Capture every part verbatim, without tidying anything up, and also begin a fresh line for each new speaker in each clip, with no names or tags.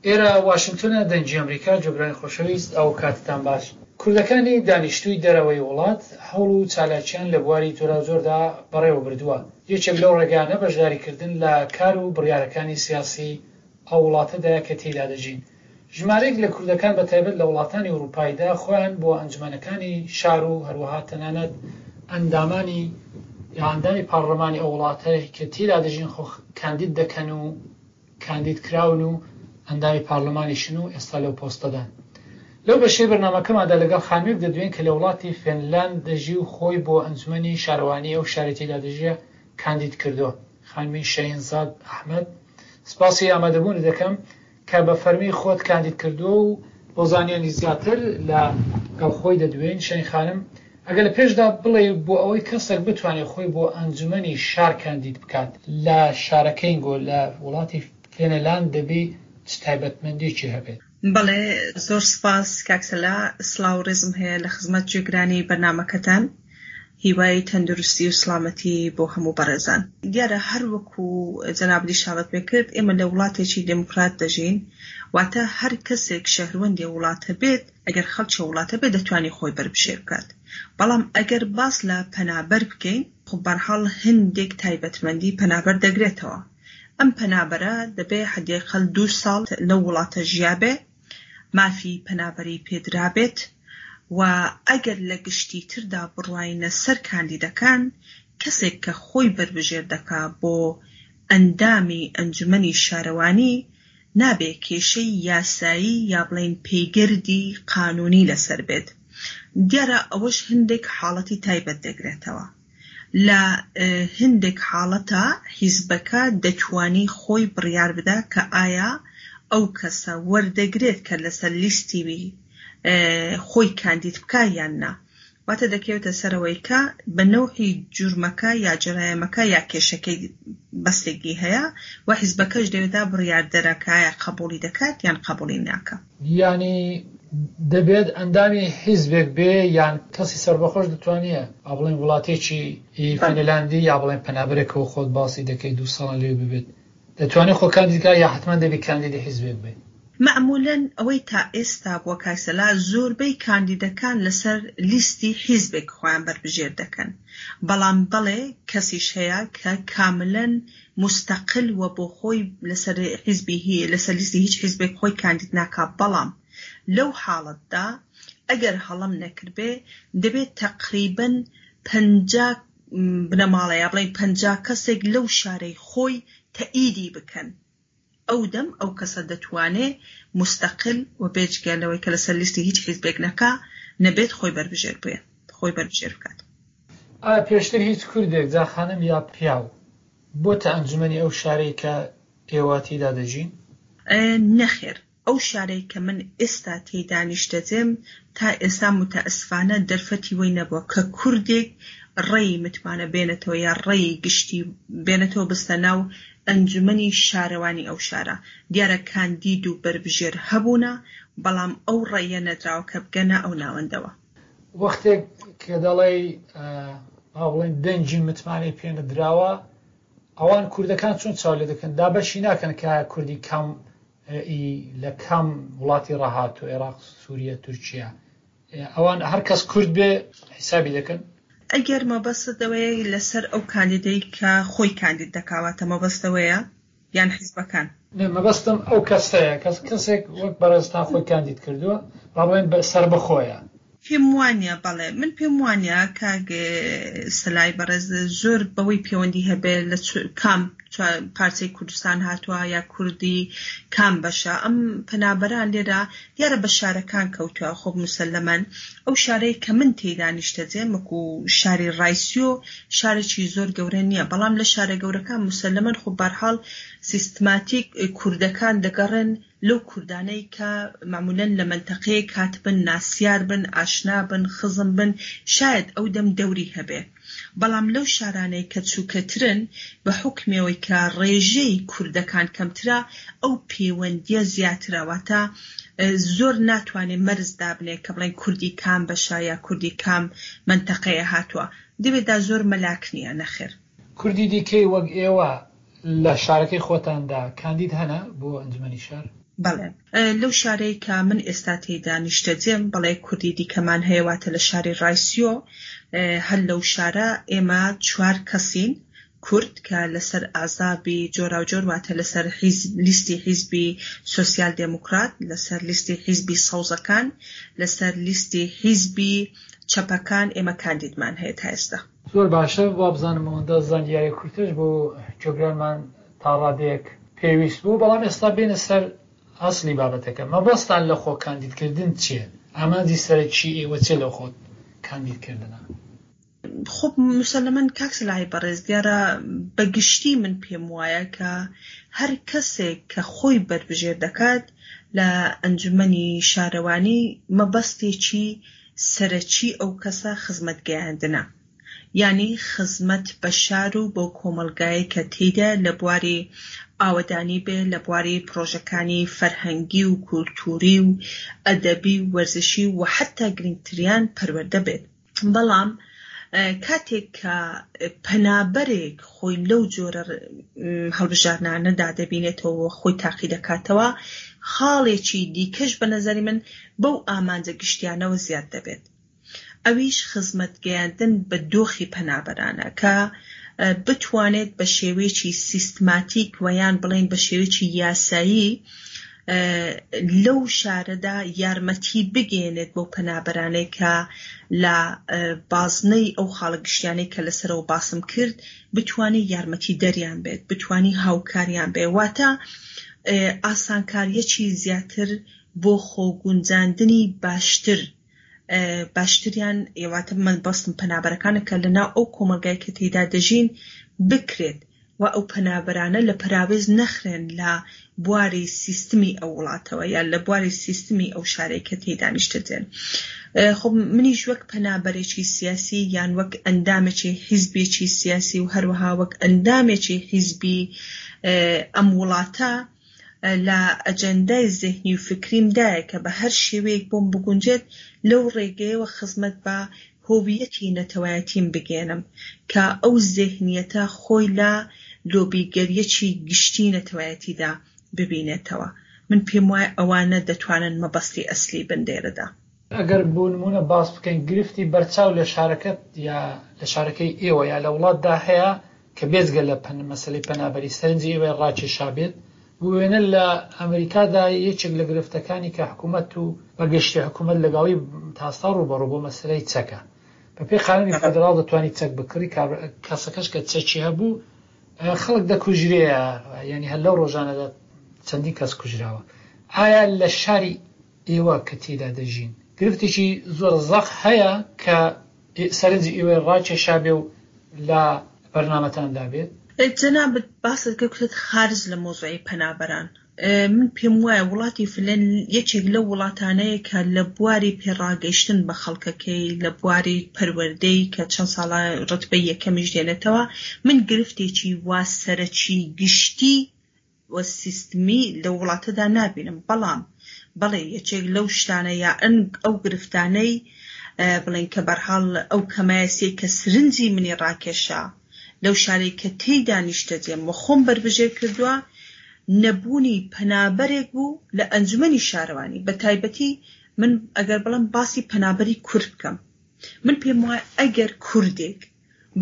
ئێرە واشنتۆنە، دەنگی ئەمریکا، گوێگرانی خۆشەویست ئەو کاتتان باش. کوردەکانی دانیشتووی دەرەوەی وڵات هەوڵ و چالاکیان لە بواری جۆراوجۆردا بەڕێوە بردووە. یەکێک لەو ڕێگانە بەشداریکردن لە کار و بڕیارەکانی سیاسی ئەو وڵاتەدایە کە تێیدا دەژین. ژمارەیەک لە کوردەکان بە تایبەت لە وڵاتانی ئورووپاییدا خۆیان بۆ ئەنجومەنەکانی شار و هەروەها تەنانەت ئەندامانی یا ئەندامی پارلەمانی ئەو وڵاتە کە تێیدا دەژین خۆ کاندید دەکەن و کاندید کراون و ئەندامی پارلەمانیشن و ئێستا لەو پۆستەدان. لەو بەشەی بەرنامەکەماندا لەگەڵ خانمێک دەدوێین کە لە وڵاتی فێنلاند دەژی و خۆی بۆ ئەنجومەنی شارەوانی ئەو شارەی تێیدا دەژیە کاندید کردووە. خانمی شەهینزاد ئەحمەد، سپاسی ئامادەبوونت دەکەم کە بە فەرمی خۆت کاندید کردووە و بۆ زانیاری زیاتر لە گەڵ خۆی دەدوێین. شەهین خانم، ئەگەر لە پێشدا بڵێ بۆ ئەوەی کەسێک بتوانێت خۆی بۆ ئەنجومەنی شار کاندید بکات لە شارەکەینگۆ لە وڵاتی فێنلاند دەبی چ تایبەتمەندێکی هەبێت؟
بەڵێ، زۆر سپاس کاک سەلا، سڵاو و ڕێزم هەیە لە خزمەت گوێگرانی بەرنامەکەتان. هیوای تەندروستی و سڵامەتی بۆ هەموو بەڕێزان. دیارە هەر وەکو جەنابت ئیشارەت پێ کرد ئێمە لە وڵاتێکی دێموکرات دەژین، واتە هەر کەسێک شەهروەندی وڵاتە بێت، ئەگەر خەڵکی وڵاتە بێت دەتوانی خۆی بەربژێر بکات. بەڵام ئەگەر باس لە پەنابەر بکەین، خۆ بەرحاڵ هەندێک تایبەتمەندی پەنابەر دەگرێتەوە. ئەم پەنابەرە دەبێ حەدیقەل دوو ساڵ لەو وڵاتە ژیابێ، مافی پەنابەری پێدرابێت و ئەگەر لە گشتیتردا بڕواینە سەر کاندیدەکان، کەسێک کە خۆی بەربژێر دەکا بۆ ئەندامی ئەنجومەنی شارەوانی، نابێ کێشەی یاسایی یا بڵێین پێگەردی قانونی لەسەر بێت. دیارە ئەوەش هەندێک حاڵەتی تایبەت دەگرێتەوە. لە هەندێک حاڵەتە حیزبەکە دەتوانی خۆی بڕیار بدا کە ئایا ئەو کەسە وەردەگرێت کە لەسەر لیستی خۆی کاندید بکا یان نا. واتە دەکەوێتە سەرەوەی کە بە نەوعی جورمەکە یا جەرایمەکە یا کێشەکەی بەستێکی هەیە و حیزبەکەش دەوێدا بڕیاردەرە کە ئایا قبوڵی دەکات یان قبوڵی ناکا.
یانی دەبێت ئەندامی حیزبێک بێ یان کەسی سەربەخۆش دەتوانێ با بڵێن وڵاتێکی فینلاندی یا بڵێن پەنابەرێکەوە خۆت باسی دەکەی دوو ساڵان لێ ببێت دەتوانێت خۆ کاندید کا یا حتمما دەبی کاندیدی حیزبێک بێ؟
مەعموولەن ئەوەی تا ئێستا بووە کاک سەلا زۆربەی کاندیدەکان لەسەر لیستی حیزبێک خۆیان بەربژێر دەکەن، بەڵام بەڵێ کەسیش هەیە کە کاملەن مستەقل و بۆ خۆی لەسەر حیزبی لەسەر لیستی هیچ حیزبێک خۆی کاندید ناکا، بەڵام لەو حاڵەتدا ئەگەر هەڵەم نەکردبێ دەبێت تەقریبەن پەنجا بنەماڵە یا بڵێین پەنجا کەسێک لەو شارەی خۆی تەئیدی بکەن، ئەو دەم ئەو کەسە دەتوانێ مستەقل و بێجگە لەوەی کە لەسەر لیستی هیچ حیزبێک نەکا نەبێت خۆی بەربژێر بێ خۆی بەربژێر بکات.
ئایا پێشتر هیچ کوردێک جا خانم یا پیاو بۆتە ئەنجومەنی ئەو شارەی کە ئێوە تێیدا دەژین؟
نەخێر، ئەو شارەی کە من ئێستا تێیدا نیشتەجێم تا ئێستا متەئەسفانە دەرفەتی وەی نەبووە کە کوردێک ڕێی متمانە بێنێتەوە یا ڕێی گشتی بێنێتەوە بستە ناو ئەنجومەنی شارەوانی ئەو شارە. دیارە کاندید و بەربژێر هەبوونە، بەڵام ئەو ڕێیە نەدراوە کە بگەنە ئەو ناوەندەوە.
وەختێک کە دەڵێی با بڵێن دەنگی متمانەی پێ نەدراوە، ئەوان کوردەکان چۆن چاو لێ دەکەن؟ دابەشی ناکەن کە کوردی کام لە کام وڵاتی ڕاهاتوو، عێراق، سووریە، تورکیا، ئەوان هەر کەس کورد بێ حیسابی دەکەن؟
ئەگەر مەبەستت ئەوەیە لەسەر ئەو کاندیدەی کە خۆی کاندید دەکاواتە مەبەست ئەوەیە یان حیزبەکان؟
نە، مەبەستم ئەو کەسەیە، کەس کەسێک وەک بەڕێزتان خۆی کاندید کردووە، با بڵێن سەربەخۆیە.
پێم وانە، بەڵێ من پێم وانە کاک سەلای بەڕێز زۆر بەوەی پەیوەندی هەبێ لە کام پارچەی کوردستان هاتووە یا کوردی کام بەشە. ئەم پەنابەران لێرە دیارە بە شارەکان کەوتووە، خۆ مسەلەمەن ئەو شارەی کە من تێیدا نیشتەجێم وەکو شاری ڕایسیۆ شارێکی زۆر گەورە نییە، بەڵام لە شارە گەورەکان مسەلەمەن خۆ بەرحاڵ سیستماتیک کوردەکان دەگەڕێن لەو کوردانەی کە معمولەن لە مەنتەقەیەک هاتبن، ناسیار بن، ئاشنا بن، خزم بن، شاید ئەو دەم دەوری هەبێ. بەڵام لەو شارانەی کە چووکەترن بە حوکمەوەی کە ڕێژەی کوردەکان کەمترە، ئەو پەیوەندیە زیاترە، واتە زۆر ناتوانێت مەرز دابنێ کە بڵێن کوردی کام بەشە یا کوردی کام مەنتەقەیە هاتووە. دەبێتدا زۆر مەلاک نییە، نەخێر.
کوردی دیکەی وەک ئێوە لە شارەکەی خۆتاندا کاندید هەنە بۆ ئەنجومەنی شار؟
بەڵێ لەو شارەی کە من ئێستا تێیدا نیشتەجێم، بەڵێ کوردی دیکەمان هەیە، واتە لە شاری ڕایسیۆ. هەر لەو شارە ئێمە چوار کەسین کورد کە لەسەر ئازابی جۆراوجۆر، واتە لەسەر لیستی حیزبی سۆسیال دێموکرات، لەسەر لیستی حیزبی سەوزەکان، لەسەر لیستی حیزبی چەپەکان ئێمە کاندیدمان هەیە تا ئێستا.
زۆر باشە، وابزانم ئەوەندە زانیاری کورتش بۆ گوێگرانمان تا ڕادەیەک پێویست بوو، بەڵام ئێستا بێنە سەر ئەسلی بابەتەکە. مەبەستان لە خۆ کاندیدکردن چییە؟ ئامانجی سەرەکی ئێوە چییە لە خۆ کاندیدکردنە؟
خۆ مسلمەن کاک سەلاحی بەڕێز، دیارە بەگشتی من پێم وایە کە هەر کەسێک کە خۆی بەربژێر دەکات لە ئەنجومەنی شارەوانی مەبەستێکی سەرەکی ئەو کەسە خزمەت گەیاندنە، یعنی خزمەت بە شار و بۆ کۆمەڵگایە کە تێیدا لە بواری ئاوەدانی بێ، لە بواری پرۆژەکانی فەرهەنگی و کولتووری و ئەدەبی و وەرزشی و حتا گرنگتریان پەروەردە بێت. بەڵام کاتێک کە پەنابەرێک خۆی لەو جۆرە هەڵبژاردنانەدا دەبینێتەوە، خۆی تاقی دەکاتەوە، خاڵێکی دیکەش بە نەزەری من بەو ئامانجە گشتیانەوە زیاد دەبێت، ئەویش خزمەت گەیاندن بە دۆخی پەنابەرانە کە بتوانێت بە شێوەیەکی سیستماتیک و یان بڵێن بە شێوەیەکی یاسایی لەو شارەدا یارمەتی بگەێنێت بۆ پەنابەرانەی کە لە بازنەی ئەو خاڵە گشتیانەی کە لەسەرەوە باسم کرد بتوانێت یارمەتی دەریان بێت، بتوانێت هاوکاریان بێت، واتە ئاسانکاریەکی زیاتر بۆ خۆگونجاندنی باشتر باشتریان، واتە من بەستم پەنابەرەکانە کە لەناو ئەو کۆمەڵگای کە تێیدا دەژین بکرێت و ئەو پەنابەرانە لە پەراوێز نەخرێن لە بواری سیستمی ئەو وڵاتەوە یان لە بواری سیستمی ئەو شارەی کە تێیدا نیشتەجێن. خۆ منیش وەک پەنابەرێکی سیاسی یان وەک ئەندامێکی حیزبێکی سیاسی و هەروەها وەک ئەندامێکی حیزبی ئەم وڵاتە لە ئەجەندای زهنی و فکریمدایە کە بە هەر شێوەیەک بۆم بگونجێت لەو ڕێگەیەوە خزمەت بە هۆویەتی نەتەوایەتیم بگێنم کە ئەو زهنیەتە خۆی لە لۆبیگەریەکی گشتی نەتەوایەتیدا ببینێتەوە. من پێم وایە ئەوانە دەتوانن مەبەستی ئەسلی بن لێرەدا.
ئەگەر بۆ نمونە باس بکەین گرفتی بەرچاو لە شارەکەت یا لە شارەکەی ئێوە یا لە وڵاتدا هەیە کە بێجگە لە مەسەلەی پەنابەری سەرنجی ئێوەی ڕاکێشا بێت، بوێنە لە ئەمریکادا یەکێک لە گرفتەکانی کە حکوومەت و بەگشتی حکوومەت لەگەڵی تاستا ڕووبەڕوو بۆ مەسەلەی چەکە. بەپێی قانونی فیدراڵ دەتوانیت چەک بکڕی، کەسەکەش کە چەکی هەبوو خەڵک دەکوژرێ، یعنی هەر لەو ڕۆژانەدا چەندین کەس کوژراوە. ئایا لە شاری ئێوە کە تێدا دەژین گرفتێکی زۆر زەق هەیە کە سەرنجی ئێوەی ڕاکێشا بێ و لە بەرنامەتاندا بێت؟
جەنابت باست کرد کوتت خارج لە مۆزوعی پەنابەران. من پێم وایە وڵاتی فنلەند یەکێک لەو وڵاتانەیە کە لە بواری پێڕاگەیشتن بە خەڵکەکەی، لە بواری پەروەردەی کە چەند ساڵە ڕتبەی یەکەمیش دێنێتەوە، من گرفتێکی وا سەرەکی گشتی و سیستمی لە وڵاتەدا نابینم. بەڵام بەڵێ یەکێک لەو شتانە یا ئەو گرفتانەی بڵێن کە بەرحاڵ ئەو کەمایەسیەی کە سرنجی منی ڕاکێشا لەو شارەی کە تێیدا نیشتەجێم و خۆم بەربژێر کردووە، نەبوونی پەنابەرێک بوو لە ئەنجومەنی شارەوانی. بە تایبەتی من ئەگەر بڵێم باسی پەنابەری کورد بکەم، من پێم وایە ئەگەر کوردێک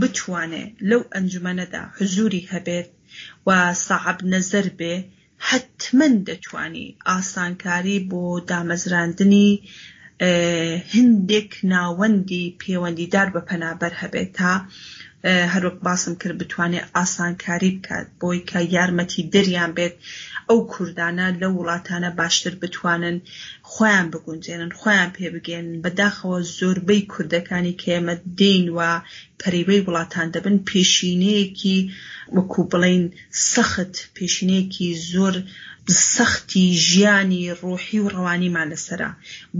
بتوانێ لەو ئەنجومەنەدا حزوری هەبێت و ساحب نەزەر بێ، حتمما دەتوانی ئاسانکاری بۆ دامەزراندنی هەندێک ناوەندی پەیوەندیدار بە پەنابەر هەبێت تا هەروەک باسم کرد بتوانێت ئاسانکاری بکات بۆی کە یارمەتی دەریان بێت ئەو کوردانە لەو وڵاتانە باشتر بتوانن خۆیان بگونجێنن، خۆیان پێبگەێنن. بەداخەوە زۆربەی کوردەکانی کە ئێمە دێین و پەریوەی وڵاتان دەبن پێشینەیەکی وەکو بڵین سەخت، پێشینەیەکی زۆر سەختی ژیانی ڕۆحی و ڕەوانیمان لەسەرە.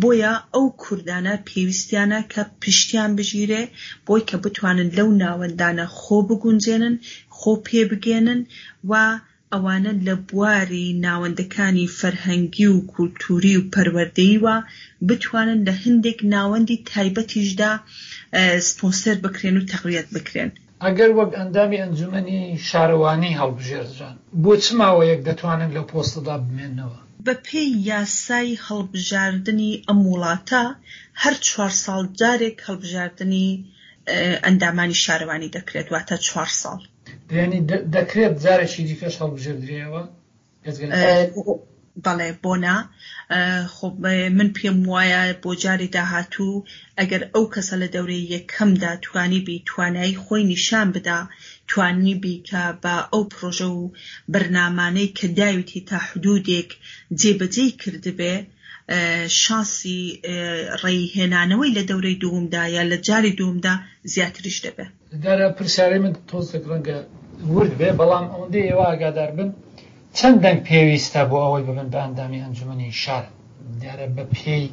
بۆیە ئەو کوردانە پێویستیانە کە پشتیان بژیرێ بۆی کە بتوانن لەو ناوەندانە خۆ بگونجێنن، خۆ پێبگەێنن و ئەوانە لە بواری ناوەندەکانی فەرهەنگی و کولتوری و پەروەردەییوە بتوانن لە هەندێک ناوەندی تایبەتیشدا سپۆنسەر بکرێن و تەقویەت بکرێن.
ئەگەر وەک ئەندامی ئەنجومەنی شارەوانی هەڵبژێردران، بۆ چ ماوەیەک دەتوانن لەو پۆستەدا بمێننەوە؟
بەپێی یاسای هەڵبژاردنی ئەم وڵاتە هەر چوار ساڵ جارێک هەڵبژاردنی ئەندامانی شارەوانی دەکرێت، واتە چوار ساڵ.
یانی دەکرێت جارێکی دیکەش هەڵبژێردرێەوە؟
بەڵێ، بۆ نا. خۆ من پێم وایە بۆ جاری داهاتوو ئەگەر ئەو کەسە لە دەورەی یەکەمدا توانی بی توانایی خۆی نیشان بدا، توانی بی کە بە ئەو پرۆژە و بەرنامانەی کە داویتی تا حدودێک جێبەجێی کردبێ، شانسی ڕێی هێنانەوەی لە دەورەی دوومدا یا لە جاری دوومدا زیاتریش دەبێ.
دیارە پرسیارەی من تۆزێک ڕەنگە ورد بێ، بەڵام ئەوەندەی ئێوە ئاگادار بن چەند دەنگ پێویستە بۆ ئەوەی ببن بە ئەندامی ئەنجومەنی شار؟ دیارە بە پێی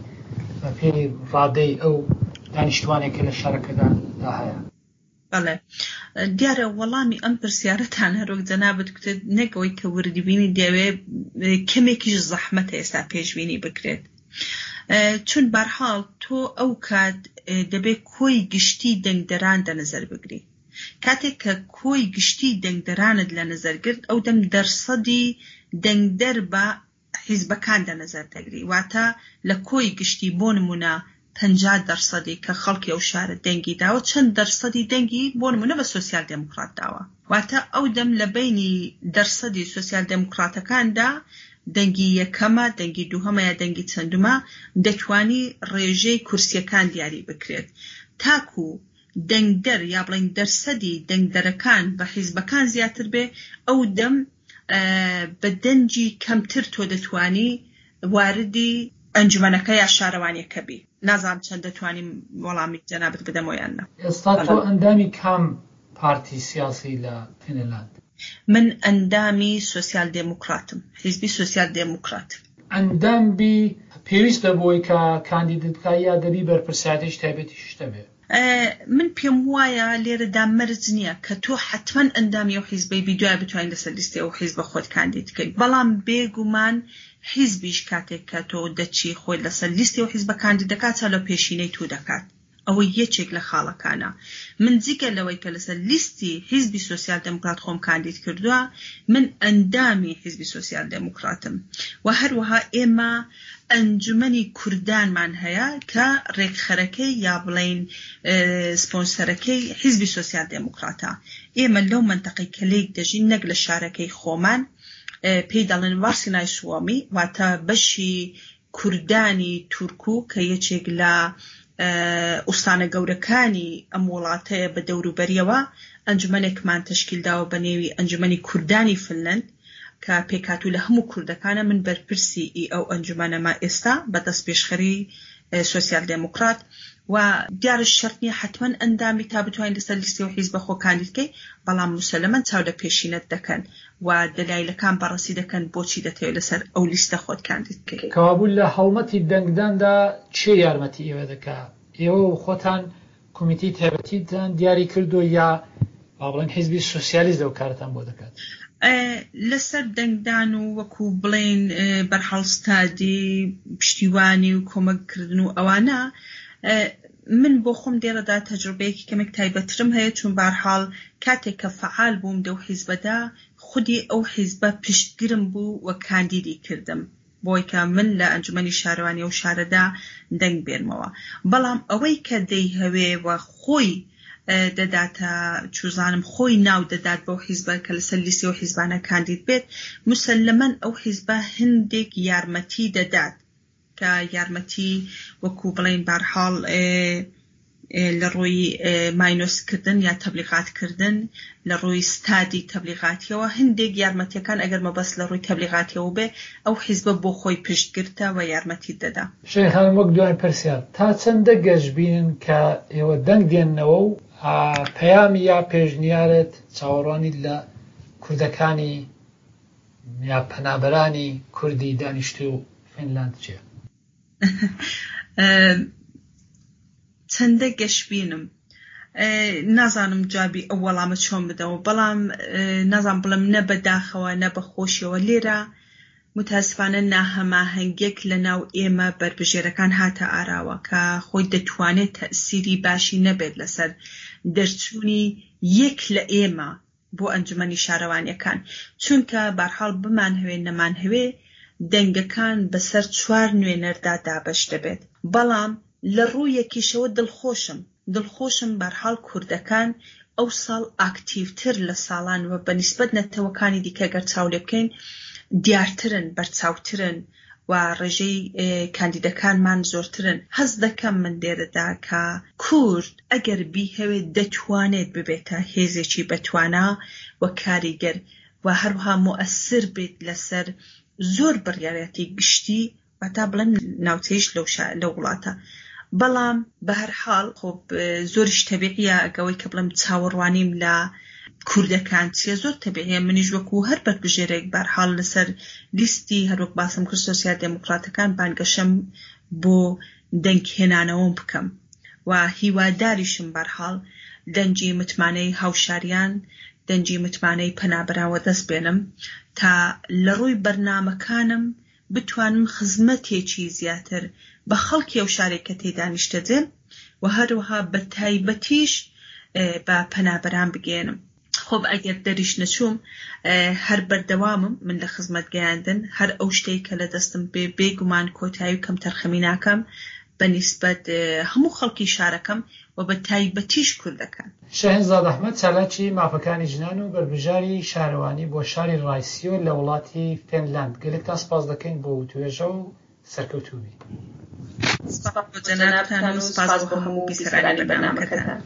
بە پێی ڕادەی ئەو دانیشتوانێک کە لە شارەکەدا دا هەیە.
بەڵێ، دیارە وەڵامی ئەم پرسیارەتان هەروەک جەنابت گوتت نەک ئەوەی کە وردبینی دەوێ، کەمێکیش زەحمەتە ئێستا پێشبینی بکرێت، چون بەرحاڵ تۆ ئەو کات دەبێت کۆی گشتی دەنگدەران دە نظر بگری. کاتێک کە کۆی گشتی دەنگدەرانت لە نظر گرت، ئەو دەم دەرسەدی دەنگدەر بە حیزبەکان دە نظر دەگری، واتە لە کۆی گشتی بۆ نمونە پەنجا دەرسەدی کە خەڵکی ئەو شارە دەنگی داوە، چەند دەرسەدی دەنگی بۆ نمونە بە سۆسیال دێموکرات داوە، واتە ئەو دەم لە بەینی دەرسەدی سۆسیال دێموکراتەکاندا دەنگی یەکەمە، دەنگی دووهەمە یا دەنگی چەندومە، دەتوانی ڕێژەی کورسیەکان دیاری بکرێت تاکو دەنگدەر یا بڵێن دەرسەدی دەنگدەرەکان بە حیزبەکان زیاتر بێ، ئەو دەم بە دەنگی کەمتر تۆ دەتوانی واردی ئەنجومەنەکە یا شارەوانیەکە بی. نازانم چەند دەتوانیم وەڵامی جەنابت بدەمەوە یان نا.
ئێستا تۆ ئەندامی کام پارتی سیاسی لە فینلاند؟
من ئەندامی سۆسیال دێموکراتم، حیزبی سۆسیال دێموکرات.
ئەندام بی پێویستە بۆی کە کاندیدت بکە یا دەبی بەرپرسیارێتی تایبەتیش هەبێ؟
من پێم وایە لێرەدا مەرج نییە کە تۆ حتمما ئەندامی ئەو حیزبەی بی دوای بتوانین لەسەر لیستی ئەو حیزبە خۆت کاندید بکەیت، بەڵام بێگومان حیزبیش کاتێک کە تۆ دەچی خۆی لەسەر لیستی ئەو حیزبە کاندید دەکات، چا لە پێشینەی تۆ دەکات. ئەوە یەکێک لە خاڵەکانە. من جگە لەوەی کە لەسەر لیستی حیزبی سۆسیال دێموکرات خۆم کاندید کردووە، من ئەندامی حیزبی سۆسیال دێموکراتم و هەروەها ئێمە ئەنجومەنی کوردانمان هەیە کە ڕێکخەرەکەی یا بڵین سپۆنسەرەکەی حیزبی سۆسیال دێموکراتە. ئێمە لەو منتەقەی کە لێک دەژین نەک لە شارەکەی خۆمان، پێی دەڵێن وارسینای سوامی، واتە بەشی کوردانی تورکو کە یەکێک لە ئوستانە گەورەکانی ئەم وڵاتەیە بە دەوروبەریەوە، ئەنجومەنێکمان تەشکیل داوە بە نێوی ئەنجومەنی کوردانی فنلند کە پێکاتوو لە هەموو کوردەکانە. من بەرپرسی ئی ئەو ئەنجومەنەمە ئێستا بە دەست پێشخەری سۆسیال دێموکرات و دیارە شەرت نییە حتمما ئەندامی تا بتوانین لەسەر لیستی و حیزبە خۆ کاندید بکەی، بەڵام مسلمەن چاو لە پێشینەت دەکەن و دەلایلەکان بەڕەسی دەکەن بۆچی دەتەوێت لەسەر ئەو لیستە خۆت کاندید بکەی.
کەوابوو لە هەڵمەتی دەنگداندا چێ یارمەتی ئێوە دەکا؟ ئێوە خۆتان کۆمیتەی تایبەتیتان دیاری کردو یا با بڵێن حیزبی سۆسیالیست ئەو کارتان بۆ دەکات؟
لەسەر دەنگدان و وەکو بڵێن بەرحاڵ ستادی پشتیوانی و کۆمەککردن و ئەوانە، من بۆ خۆم لێرەدا تەجروبەیەکی کەمێک تایبەترم هەیە، چون بەرحاڵ کاتێک کە فعال بووم لەو حیزبەدا، خودی ئەو حیزبە پشتگرم بوو و کاندیدی کردم بۆی کە من لە ئەنجومەنی شارەوانی ئەو شارەدا دەنگ بێنمەوە. بەڵام ئەوەی کە دەیهەوێ و خۆی دەداتە چوزانم خۆی ناو دەدات بەو حیزبە کە لەسەر لیستی ئەو حیزبانە کاندید بێت، مسلمەن ئەو حیزبە هەندێک یارمەتی دەدات کە یارمەتی وەکو بڵێن بارحاڵ لە ڕووی ماینۆسکردن یا تەبلیغاتکردن، لە ڕووی ستادی تەبلیغاتیەوە هەندێک یارمەتیەکان ئەگەر مەبەست لە ڕووی تەبلیغاتیەوە بێ، ئەو حیزبە بۆ خۆی پشتگرتە و یارمەتی دەدا.
شەهین خانم، وەک دوای پرسیار، تا چەندە گەشبینن کە ئێوە دەنگ دێننەوە و پەیامی یا پێشنیارت چاوەڕوانی لە کوردەکانی یا پەنابەرانی کوردی دانیشتوو فینلاند چییە؟
چەندە گەشبینم نازانم جوابی ئەو وەڵامە چۆن بدەمەوە، بەڵام نازانم بڵێم نە بەداخەوە نە بەخۆشیەوە. لێرە متاسفانە ناهەماهەنگیەک لە ناو ئێمە بەربژێرەکان هاتە ئاراوە کە خۆی دەتوانێت تەئسیری باشی نەبێت لەسەر دەرچوونی یەک لە ئێمە بۆ ئەنجومەنی شارەوانیەکان، چونکە بارحاڵ بمانهەوێ نەمانهەوێ دەنگەکان بەسەر چوار نوێنەردا دابەش دەبێت. بەڵام لە ڕوویەکیشەوە دڵخۆشم، دڵخۆشم بارحاڵ کوردەکان ئەوساڵ ئاکتیڤتر لە ساڵان و بە نیسبەت نەتەوەکانی دیکە گەر چاو لێ بکەین دیارترن، بەرچاوترن و ڕێژەی کاندیدەکانمان زۆرترن. هەست دەکەم من لێرەدا کە کورد ئەگەر بیهەوێت دەتوانێت ببێتە هێزێکی بەتوانا و کاریگەر و هەروەها موئەسر بێت لەسەر زۆر بڕیارەتی گشتی واتا بڵێم ناوچەیش لەو لەو وڵاتە. بەڵام بەهەرحاڵ خۆ زۆریش تەبیعیە ئەگەوەی کە بڵێم چاوەڕوانیم لە کوردەکان چییە زۆر تەبیعیە، منیش وەکو هەر بەربژێرێک بەرحاڵ لەسەر لیستی هەروەک باسم کرد سۆسیال دێموکراتەکان بانگەشەم بۆ دەنگهێنانەوەم بکەم و هیواداریشم بەرحاڵ دەنگی متمانەی هاوشاریان، دەنگی متمانەی پەنابەران وەدەست بێنم تا لە ڕووی بەرنامەکانم بتوانم خزمەتێکی زیاتر بە خەڵکی ئەو شارێک کە تێیدا نیشتەجێم و هەروەها بە تایبەتیش بە پەنابەران بگەیەنم. خۆ ئەگەر دەریش نەچووم هەر بەردەوامم من لە خزمەت گەیاندن، هەر ئەو شتەی کە لە دەستم بێ بێگومان کۆتایی و کەمتەرخەمی ناکەم بە نیسبەت هەموو خەڵکی شارەکەم و بە تایبەتیش کوردەکان.
شەهێنزاد ئەحمەد چالاکی مافەکانی ژنان و بەربژاری شارەوانی بۆ شاری ڕایسیۆ لە وڵاتی فینلاند، گەلێکتان سپاس دەکەین بۆ وتوێژە و سەرکەوتوو بی.
سپاس بۆ جەنابتان و سپاس بۆ هەموو بیسەرانی بەرنامەکەتان.